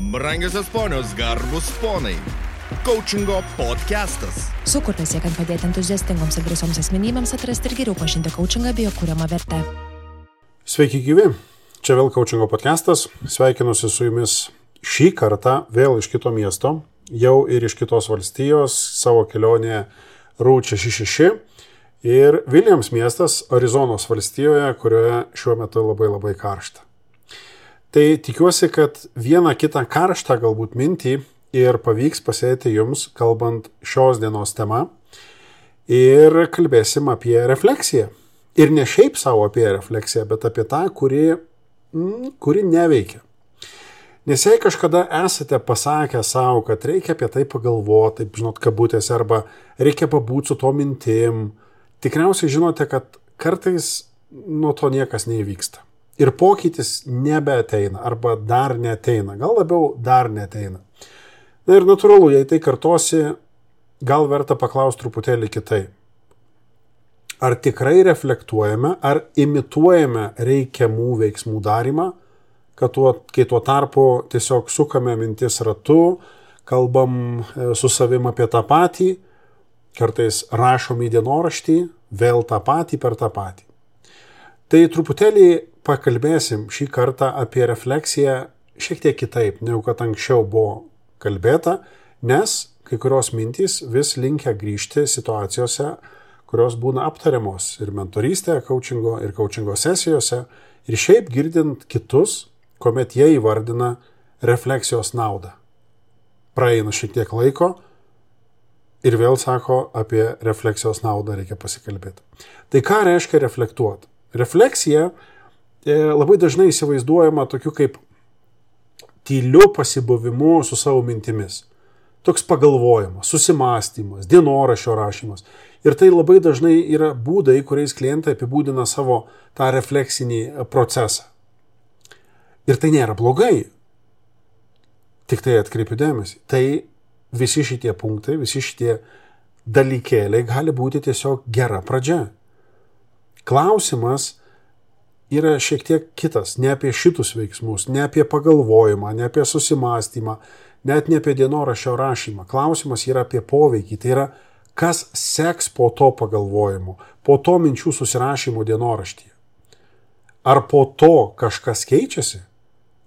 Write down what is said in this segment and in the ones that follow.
Brangiosios ponios, garbus ponai. Coachingo podcastas. Sukurtas siekiant padėti entuziastingoms ir drąsioms asmenybėms atrasti ir geriau pažinti coachingą bei jo kuriamą vertę. Sveiki gyvi, čia vėl Coachingo podcastas. Sveikinuosi su jumis šį kartą vėl iš kito miesto, jau ir iš kitos valstijos, savo kelionėje Route 66 ir Williams miestas Arizonos valstijoje, kurioje šiuo metu labai karšta. Tai tikiuosi, kad vieną kitą karštą galbūt mintį ir pavyks pasėti jums, kalbant šios dienos tema. Ir kalbėsim apie refleksiją. Ir ne šiaip savo apie refleksiją, bet apie tą, kuri neveikia. Nes jei kažkada esate pasakę savo, kad reikia apie tai pagalvoti, taip žinot, kabutėse, arba reikia pabūti su to mintim, tikriausiai žinote, kad kartais nuo to niekas neįvyksta. Ir pokytis nebeateina, arba dar neateina, gal labiau dar neateina. Na ir natūralu, jei tai kartosi, gal verta paklausti truputėlį kitaip. Ar tikrai reflektuojame, ar imituojame reikiamų veiksmų darymą, kai tuo tarpu tiesiog sukame mintis ratu, kalbam su savim apie tą patį, kartais rašom į dienoraštį, vėl tą patį per tą patį. Tai truputėlį pakalbėsim šį kartą apie refleksiją šiek tiek kitaip, negu kad anksčiau buvo kalbėta, nes kai kurios mintys vis linkia grįžti situacijose, kurios būna aptariamos ir mentorystėje, coachingo ir coachingo sesijose, ir šiaip girdint kitus, kuomet jie įvardina refleksijos naudą. Praeina šiek tiek laiko ir vėl sako, apie refleksijos naudą reikia pasikalbėti. Tai ką reiškia reflektuoti? Refleksija labai dažnai įsivaizduojama tokiu kaip tyliu pasibuvimu su savo mintimis. Toks pagalvojimas, susimąstymas, dienoraščio rašymas. Ir tai labai dažnai yra būdai, kuriais klientai apibūdina savo tą refleksinį procesą. Ir tai nėra blogai. Tik tai atkreipiu dėmesį. Tai visi šitie punktai, visi šitie dalykėliai gali būti tiesiog gera pradžia. Klausimas yra šiek tiek kitas, ne apie šitus veiksmus, ne apie pagalvojimą, ne apie susimąstymą, net ne apie dienoraščio rašymą. Klausimas yra apie poveikį, tai yra, kas seks po to pagalvojimo, po to minčių susirašymo dienoraštyje. Ar po to kažkas keičiasi?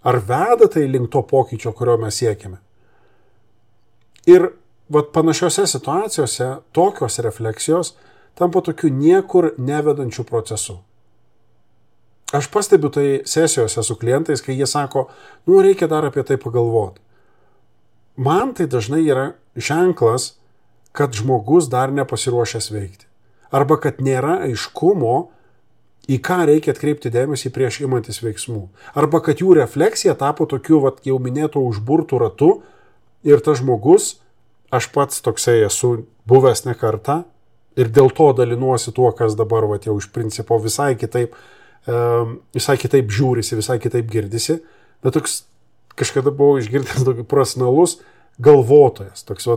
Ar veda tai link to pokyčio, kurio mes siekiame? Ir panašiose situacijose tokios refleksijos tampa tokiu niekur nevedančiu procesu. Aš pastebiu tai sesijose su klientais, kai jie sako, reikia dar apie tai pagalvoti. Man tai dažnai yra ženklas, kad žmogus dar nepasiruošęs veikti. Arba kad nėra aiškumo, į ką reikia atkreipti dėmesį prieš imantis veiksmų. Arba kad jų refleksija tapo tokiu, jau minėto užburtų ratu ir tas žmogus, aš pats toksai esu buvęs ne kartą ir dėl to dalinuosi tuo, kas dabar jau iš principo visai kitaip žiūrisi, visai kitaip girdisi, bet toks kažkada buvau išgirdęs tokį profesionalus galvotojas, toks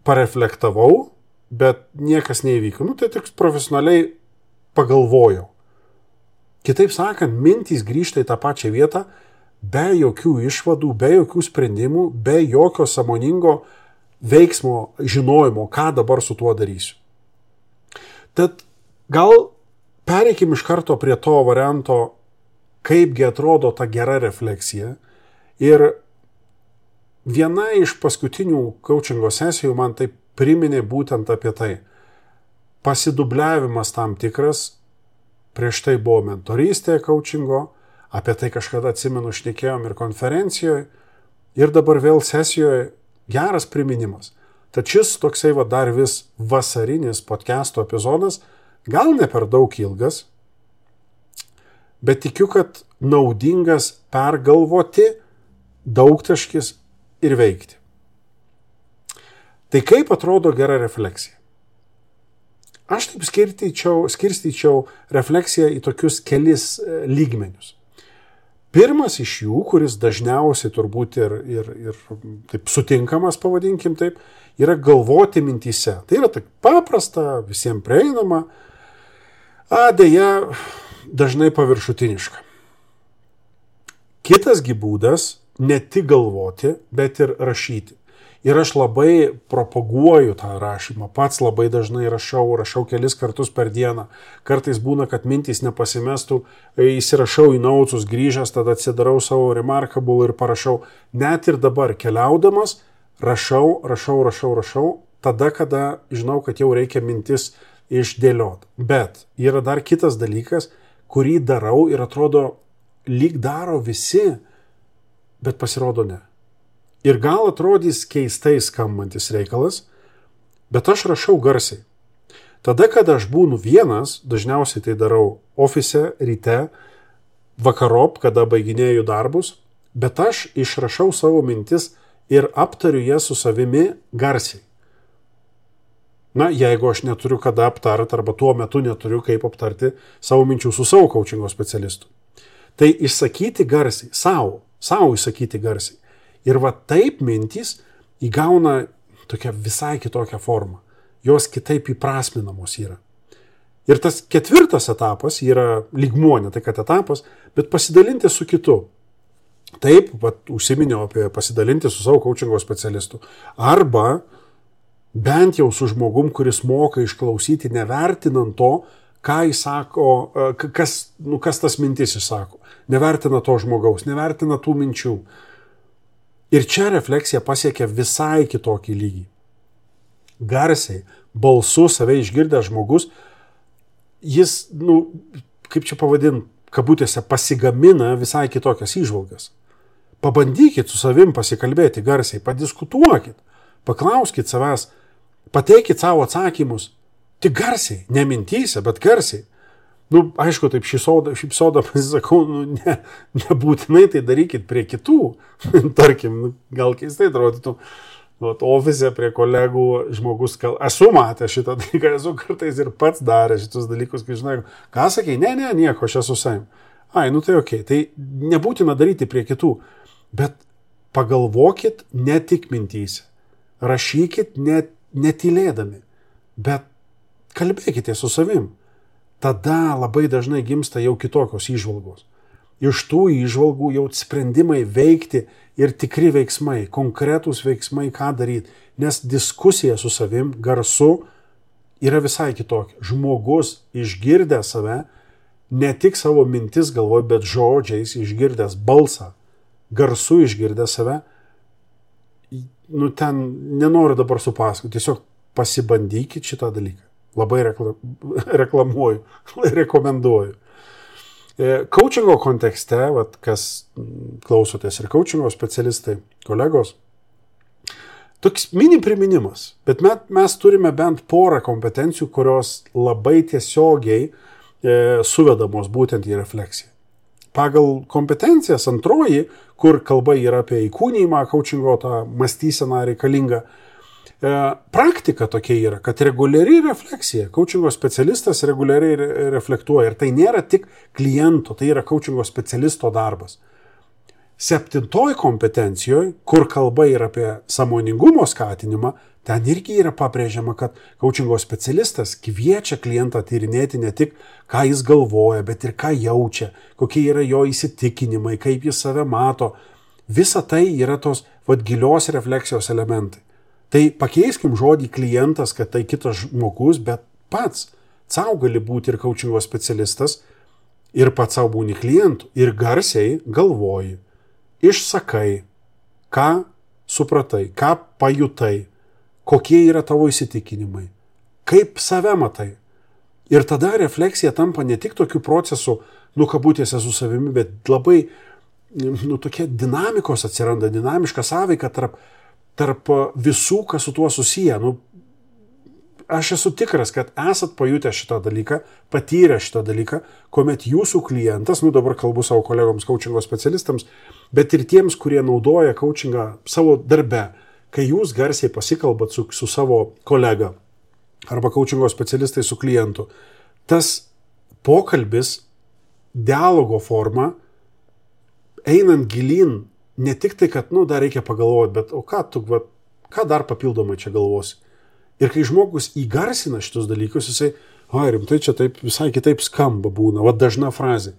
pareflektavau, bet niekas neįvyko. Tai toks profesionaliai pagalvojau. Kitaip sakant, mintys grįžta į tą pačią vietą, be jokių išvadų, be jokių sprendimų, be jokio sąmoningo veiksmo, žinojimo, ką dabar su tuo darysiu. Tad gal pereikim iš karto prie to varianto, kaipgi atrodo ta gera refleksija. Ir viena iš paskutinių coachingo sesijų man tai priminė būtent apie tai. Pasidubliavimas tam tikras, prieš tai buvo mentorystė coachingo, apie tai kažkada atsimenu šnekėjom ir konferencijoje, ir dabar vėl sesijoje geras priminimas. Tad šis toksai dar vis vasarinis podcast'o epizodas, gal ne per daug ilgas, bet tikiu, kad naudingas pergalvoti, daugtaškis ir veikti. Tai kaip atrodo gera refleksija? Aš taip skirstyčiau refleksiją į tokius kelis lygmenius. Pirmas iš jų, kuris dažniausiai turbūt ir taip sutinkamas, pavadinkim taip, yra galvoti mintyse. Tai yra taip paprasta, visiems prieinama, deja dažnai paviršutiniška. Kitasgi būdas ne tik galvoti, bet ir rašyti. Ir aš labai propaguoju tą rašymą, pats labai dažnai rašau kelis kartus per dieną. Kartais būna, kad mintys nepasimestų, įsirašau į nautus, grįžęs, tada atsidarau savo Remarkable ir parašau. Net ir dabar keliaudamas rašau, tada, kada žinau, kad jau reikia mintis išdėlioti. Bet yra dar kitas dalykas, kurį darau ir atrodo, lyg daro visi, bet pasirodo ne. Ir gal atrodys keistai skambantis reikalas, bet aš rašau garsiai. Tada, kada aš būnu vienas, dažniausiai tai darau ofise, ryte, vakarop, kada baiginėju darbus, bet aš išrašau savo mintis ir aptariu jas su savimi garsiai. Na, jeigu aš neturiu kada aptarti arba tuo metu neturiu kaip aptarti savo minčių su savo coachingo specialistu. Tai išsakyti garsiai, savo išsakyti garsiai. Ir va taip mintys įgauna tokią visai kitokią formą. Jos kitaip įprasminamos yra. Ir tas ketvirtas etapas yra lygmuo, ne tai kad etapas, bet pasidalinti su kitu. Taip, užsiminiau apie pasidalinti su savo coachingo specialistu. Arba bent jau su žmogum, kuris moka išklausyti, nevertinant to, ką jis sako, kas tas mintis išsako. Nevertina to žmogaus, nevertina tų minčių. Ir čia refleksija pasiekia visai kitokį lygį. Garsiai, balsu save išgirdęs žmogus, jis, kaip čia pavadint, kabutėse pasigamina visai kitokias įžvalgas. Pabandykit su savim pasikalbėti garsiai, padiskutuokit, paklauskit savęs, pateikit savo atsakymus, tik garsiai, ne mintyse, bet garsiai. Aišku, taip šypsoda pasisakau, nebūtinai tai darykit prie kitų. Tarkim, gal keistai atrodytų, ofise prie kolegų žmogus, esu matęs šitą dalyką, esu kartais ir pats darę šitus dalykus, kai žinai, ką sakei, ne, nieko, aš esu savim. Tai okei, tai nebūtina daryti prie kitų, bet pagalvokit ne tik mintyse, rašykit netylėdami, bet kalbėkite su savim. Tada labai dažnai gimsta jau kitokios įžvalgos. Iš tų įžvalgų jau sprendimai veikti ir tikri veiksmai, konkretūs veiksmai, ką daryti. Nes diskusija su savim, garsu, yra visai kitokia. Žmogus išgirdęs save, ne tik savo mintis galvoj, bet žodžiais išgirdęs balsą, garsu išgirdęs save, ten nenoriu dabar supasakoti, tiesiog pasibandykit šitą dalyką. Labai reklamuoju, rekomenduoju. Coachingo kontekste, kas klausotės ir coachingo specialistai, kolegos, toks mini priminimas, bet mes turime bent porą kompetencijų, kurios labai tiesiogiai suvedamos būtent į refleksiją. Pagal kompetencijas antroji, kur kalba yra apie įkūnijimą, coachingo tą mąstyseną reikalingą, praktika tokia yra, kad reguliari refleksija, coachingo specialistas reguliariai reflektuoja ir tai nėra tik kliento, tai yra coachingo specialisto darbas. 7 kompetencijoje, kur kalba yra apie sąmoningumo skatinimą, ten irgi yra pabrėžiama, kad coachingo specialistas kviečia klientą tyrinėti ne tik, ką jis galvoja, bet ir ką jaučia, kokie yra jo įsitikinimai, kaip jis save mato. Visa tai yra tos gilios refleksijos elementai. Tai pakeiskim žodį klientas, kad tai kitas žmogus, bet pats savo gali būti ir coachingo specialistas ir pats savo būni klientų. Ir garsiai galvoji, išsakai, ką supratai, ką pajutai, kokie yra tavo įsitikinimai, kaip save matai. Ir tada refleksija tampa ne tik tokių procesų, kabutėse su savimi, bet labai tokia dinamikos atsiranda, dinamiška sąveika tarp visų, kas su tuo susiję. Aš esu tikras, kad esat pajutę šitą dalyką, patyrę šitą dalyką, kuomet jūsų klientas, dabar kalbu savo kolegoms coachingo specialistams, bet ir tiems, kurie naudoja coachingą savo darbe, kai jūs garsiai pasikalbat su savo kolega arba coachingo specialistai su klientu, tas pokalbis, dialogo forma, einant gilin, ne tik tai, kad, dar reikia pagalvoti, bet ką dar papildomai čia galvosi. Ir kai žmogus įgarsina šitus dalykus, jisai, rimtai čia taip visai kitaip skamba būna, dažna frazė.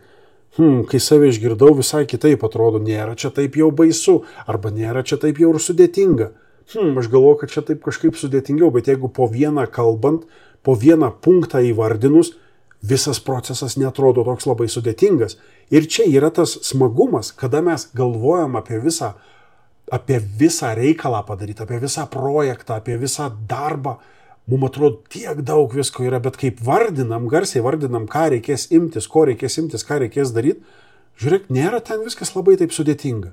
kai save išgirdau, visai kitaip atrodo, nėra čia taip jau baisu, arba nėra čia taip jau ir sudėtinga. Aš galvoju, kad čia taip kažkaip sudėtingiau, bet jeigu po vieną kalbant, po vieną punktą įvardinus, visas procesas netrodo toks labai sudėtingas. Ir čia yra tas smagumas, kada mes galvojam apie visą reikalą padaryti, apie visą projektą, apie visą darbą. Mums atrodo tiek daug visko yra, bet kaip garsiai vardinam, ką reikės imtis, ko reikės imtis, ką reikės daryti, žiūrėk, nėra ten viskas labai taip sudėtinga.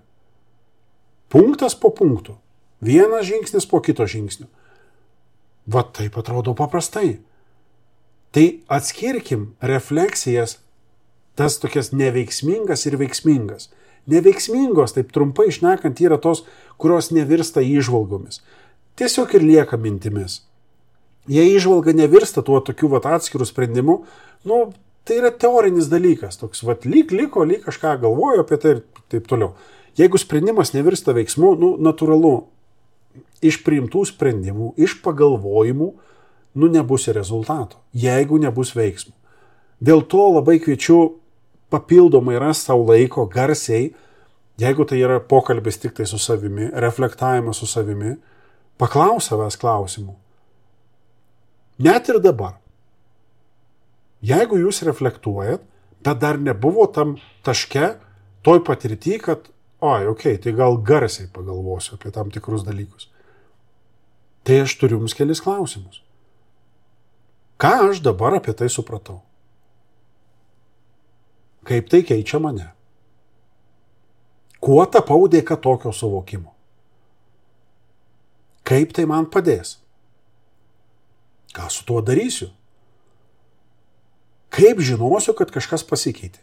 Punktas po punktų. Vienas žingsnis po kito žingsnio. Va taip atrodo paprastai. Tai atskirkim refleksijas, tas tokias neveiksmingas ir veiksmingas. Neveiksmingos, taip trumpai šnekant, yra tos, kurios nevirsta įžvalgomis. Tiesiog ir lieka mintimis. Jei įžvalga nevirsta tuo tokiu atskirų sprendimu, tai yra teorinis dalykas. Toks, lyg kažką galvoju apie tai ir taip toliau. Jeigu sprendimas nevirsta veiksmu, natūralu, iš priimtų sprendimų, iš pagalvojimų, nebus rezultato, jeigu nebus veiksmų. Dėl to labai kviečiu papildomai rasti savo laiko garsiai, jeigu tai yra pokalbis tik tai su savimi, reflektavimas su savimi, paklaus savęs klausimų. Net ir dabar. Jeigu jūs reflektuojat, bet dar nebuvo tam taške, toj patirty, kad, tai gal garsiai pagalvosiu apie tam tikrus dalykus. Tai aš turiu jums kelis klausimus. Ką aš dabar apie tai supratau? Kaip tai keičia mane? Kuo tapau dėka tokio suvokimo? Kaip tai man padės? Ką su tuo darysiu? Kaip žinosiu, kad kažkas pasikeitė?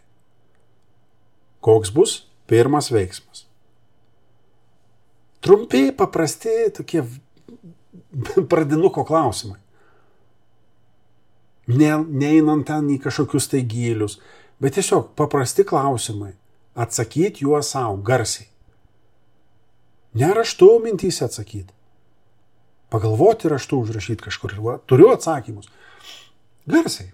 Koks bus pirmas veiksmas? Trumpi, paprasti, tokie pradinuko klausimai. Neinant ten į kažkokius tai gylius, bet tiesiog paprasti klausimai. Atsakyti juos savo garsiai. Ne raštu mintyse atsakyti. Pagalvoti raštu, užrašyti kažkur. Turiu atsakymus. Garsiai.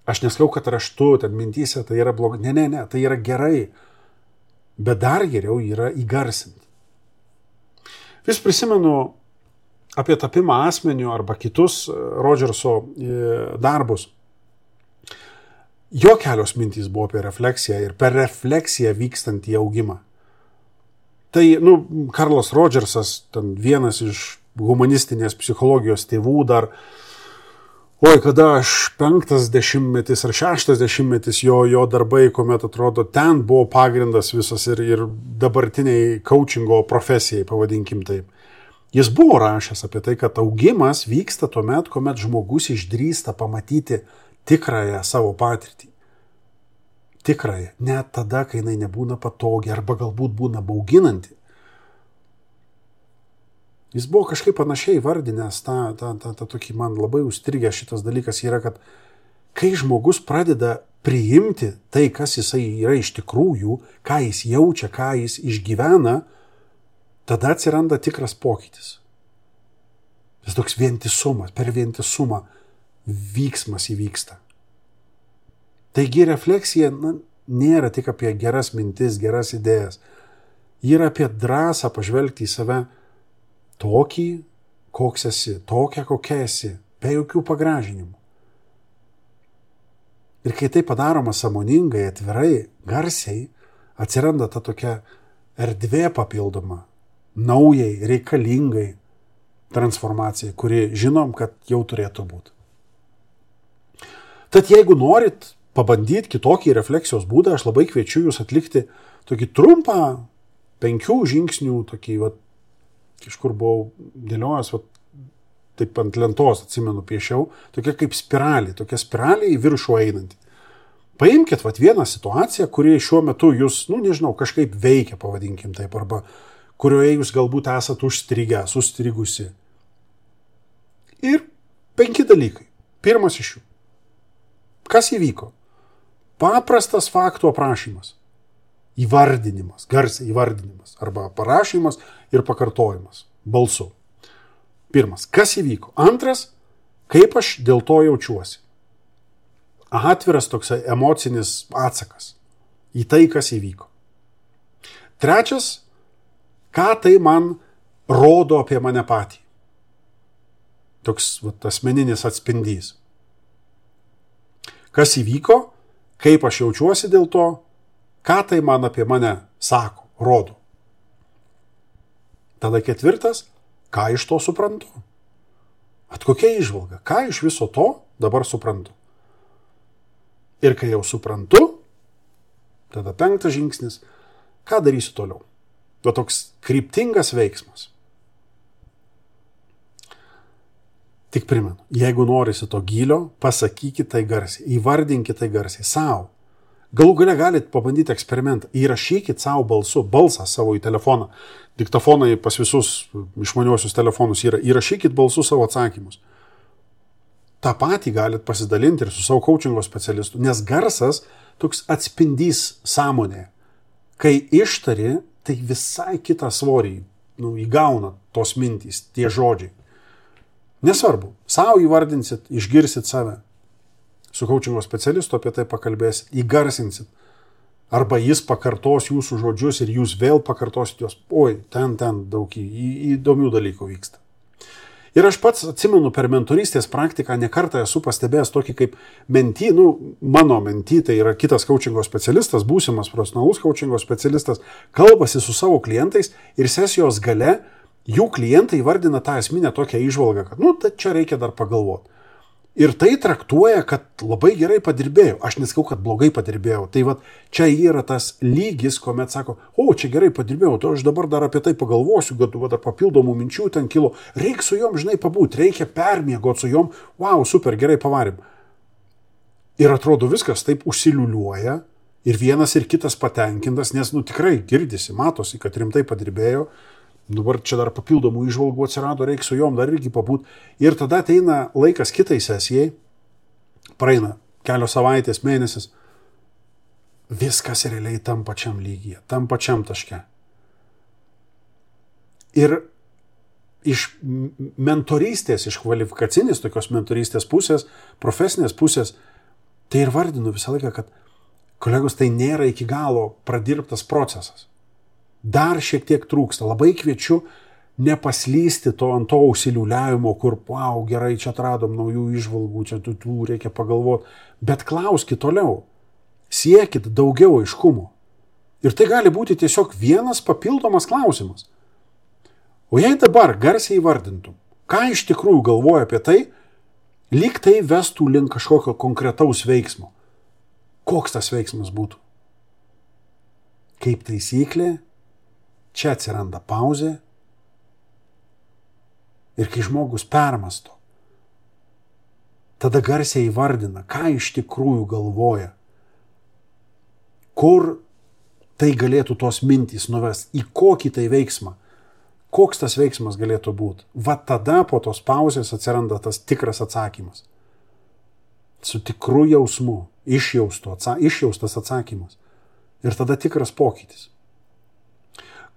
Aš neskau, kad raštu, ten mintyse tai yra blogai. Ne, tai yra gerai. Bet dar geriau yra įgarsinti. Vis prisimenu apie tapimą asmeniu arba kitus Rodžerso darbus. Jo kelios mintys buvo apie refleksiją ir per refleksiją vykstantį augimą. Tai, Karlas Rodžersas, ten vienas iš humanistinės psichologijos tėvų dar, kada aš 50 ar 60 jo darbai, kuomet atrodo, ten buvo pagrindas visas ir dabartiniai coachingo profesijai, pavadinkim taip. Jis buvo rašęs apie tai, kad augimas vyksta tuomet, kuomet žmogus išdrįsta pamatyti tikrąją savo patirtį. Tikrąją. Net tada, kai jinai nebūna patogi arba galbūt būna bauginanti. Jis buvo kažkaip panašiai vardinęs, tokį man labai užstrigęs šitas dalykas yra, kad kai žmogus pradeda priimti tai, kas jisai yra iš tikrųjų, ką jis jaučia, ką jis išgyvena, tada atsiranda tikras pokytis. Jis toks vientisumas, per vientisumą vyksmas įvyksta. Taigi refleksija nėra tik apie geras mintis, geras idėjas. Ji yra apie drąsą pažvelgti į save tokį, koks esi, tokią, kokia esi, be jokių pagražinimų. Ir kai tai padaroma sąmoningai, atvirai, garsiai, atsiranda ta tokia erdvė papildoma, naujai, reikalingai transformacijai, kuri žinom, kad jau turėtų būti. Tad jeigu norit pabandyti kitokį refleksijos būdą, aš labai kviečiu jūs atlikti tokį trumpą 5 žingsnių, tokį, kažkur buvau dėliojęs, taip ant lentos, atsimenu, piešiau, tokia kaip spiralė, tokia spiralė į viršų einanti. Paimkit vieną situaciją, kuri šiuo metu jūs, nežinau, kažkaip veikia, pavadinkim taip, arba kurioje jūs galbūt esat užstrigę, sustrigusi. Ir 5 dalykai. Pirmas iš jų. Kas įvyko? Paprastas faktų aprašymas. Įvardinimas, garsiai įvardinimas. Arba parašymas ir pakartojimas. Balsu. Pirmas. Kas įvyko? Antras. Kaip aš dėl to jaučiuosi? Atviras toks emocinis atsakas. į tai, kas įvyko. Trečias, ką tai man rodo apie mane patį. Toks asmeninis atspindys. Kas įvyko, kaip aš jaučiuosi dėl to, ką tai man apie mane sako, rodo. Tada ketvirtas, ką iš to suprantu. Kokia įžvalga, ką iš viso to dabar suprantu. Ir kai jau suprantu, tada penktas žingsnis, ką darysiu toliau. Toks kryptingas veiksmas. Tik primenu, jeigu norisi to gylio, pasakykite tai garsiai, įvardinkite tai garsiai savo. Galų gale galite pabandyti eksperimentą, įrašykite savo balsą savo į telefoną. Diktofonai pas visus išmaniuosius telefonus yra, įrašykite balsu savo atsakymus. Ta patį galite pasidalinti ir su savo coachingo specialistu, nes garsas toks atspindys sąmonėje. Kai ištari, tai visai kitą svorį įgauna tos mintys, tie žodžiai. Nesvarbu, savo įvardinsit, išgirsit save. Su coachingo specialistu apie tai pakalbėsit, įgarsinsit. Arba jis pakartos jūsų žodžius ir jūs vėl pakartosit juos. Oi, ten daug įdomių dalykų vyksta. Ir aš pats atsimenu per mentorystės praktiką nekartą esu pastebėjęs tokį kaip mentį, mano mentį, tai yra kitas coachingo specialistas, būsimas profesionalus coachingo specialistas, kalbasi su savo klientais ir sesijos gale jų klientai vardina tą esminę tokią įžvalgą, kad, tai čia reikia dar pagalvoti. Ir tai traktuoja, kad labai gerai padirbėjau. Aš nesakau, kad blogai padirbėjau. Tai čia yra tas lygis, kuomet sako, čia gerai padirbėjau, to aš dabar dar apie tai pagalvosiu, kad dar papildomų minčių ten kilo. Reikia su jom, pabūti, reikia permiegoti su jom. Wow, super, gerai pavarėm. Ir atrodo viskas taip užsiliuliuoja ir vienas ir kitas patenkintas, nes tikrai girdisi, matosi, kad rimtai padirbėjo. Dabar čia dar papildomų įžvalgų atsirado, reikia su jom dar irgi pabūti. Ir tada ateina laikas kitai sesijai, praeina kelios savaitės, mėnesis, viskas realiai tam pačiam lygyje, tam pačiam taške. Ir iš mentorystės, iš kvalifikacinės tokios mentorystės pusės, profesinės pusės, tai ir vardinu visą laiką, kad kolegos, tai nėra iki galo pradirbtas procesas. Dar šiek tiek trūksta. Labai kviečiu nepaslysti ant to užsiliuliavimo, kur, gerai, čia atradom naujų įžvalgų, čia tų reikia pagalvoti. Bet klauskit toliau. Siekit daugiau aiškumo. Ir tai gali būti tiesiog vienas papildomas klausimas. O jei dabar garsiai įvardintum, ką iš tikrųjų galvoja apie tai, lyg tai vestų link kažkokio konkretaus veiksmo. Koks tas veiksmas būtų? Kaip taisyklė, čia atsiranda pauzė ir kai žmogus permasto, tada garsiai įvardina, ką iš tikrųjų galvoja, kur tai galėtų tos mintys nuvesti, į kokį tai veiksmą, koks tas veiksmas galėtų būti. Tada po tos pauzės atsiranda tas tikras atsakymas. Su tikru jausmu, išjaustas atsakymas. Ir tada tikras pokytis.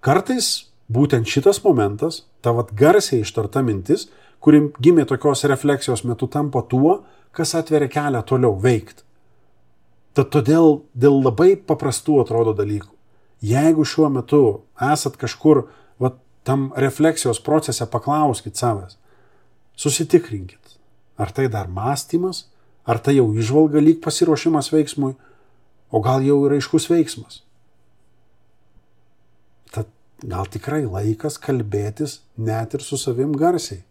Kartais būtent šitas momentas, ta garsiai ištarta mintis, kuri gimė tokios refleksijos metu, tampa tuo, kas atveria kelią toliau veikti. Tad todėl dėl labai paprastų atrodo dalykų. Jeigu šiuo metu esat kažkur tam refleksijos procese, paklauskit savęs, susitikrinkit, ar tai dar mąstymas, ar tai jau įžvalga lyg pasiruošimas veiksmui, o gal jau yra aiškus veiksmas. Tad gal tikrai laikas kalbėtis net ir su savim garsiai.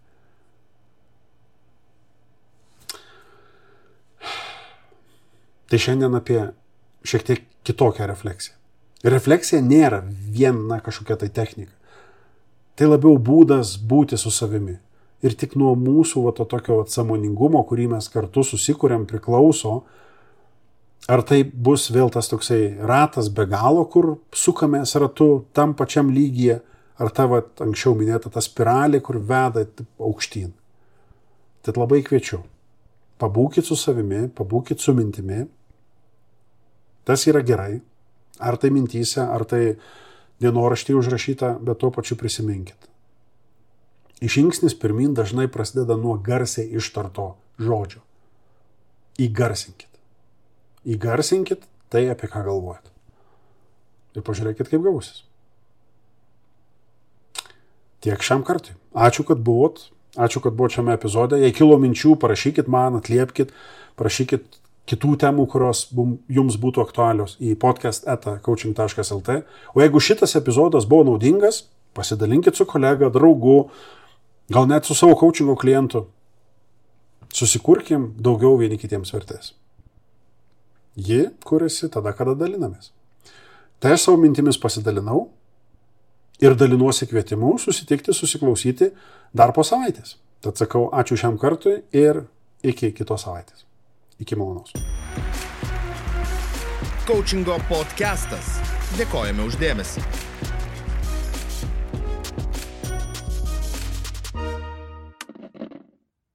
Tai šiandien apie šiek tiek kitokią refleksiją. Refleksija nėra viena kažkokia tai technika. Tai labiau būdas būti su savimi. Ir tik nuo mūsų tokio sąmoningumo, kurį mes kartu susikuriam, priklauso, ar tai bus vėl tas toksai ratas be galo, kur sukamės ratu tam pačiam lygyje, ar ta anksčiau minėta ta spiralė, kur veda aukštyn. Tad labai kviečiu. Pabūkit su savimi, pabūkit su mintimi. Tas yra gerai. Ar tai mintyse, ar tai dienoraštyje užrašyta, bet tuo pačiu prisiminkit. Žingsnis pirmin dažnai prasideda nuo garsiai ištarto žodžio. Įgarsinkit. Įgarsinkit tai, apie ką galvojat. ir pažiūrėkit, kaip gausis. Tiek šiam kartui. Ačiū, kad buvot šiame epizode. Jei kilo minčių, parašykit man, atliepkit, parašykit kitų temų, kurios jums būtų aktualios į podcast@coaching.lt. O jeigu šitas epizodas buvo naudingas, pasidalinkit su kolega, draugu, gal net su savo coachingo klientu. Susikurkim daugiau vieni kitiems vertės. Ji kuriasi tada, kada dalinamės. Tai aš savo mintimis pasidalinau ir dalinuosi kvietimu susitikti, susiklausyti dar po savaitės. Tad sakau ačiū šiam kartui ir iki kitos savaitės. Iki malonaus. Coachingo podcastas. Dėkojame už dėmesį.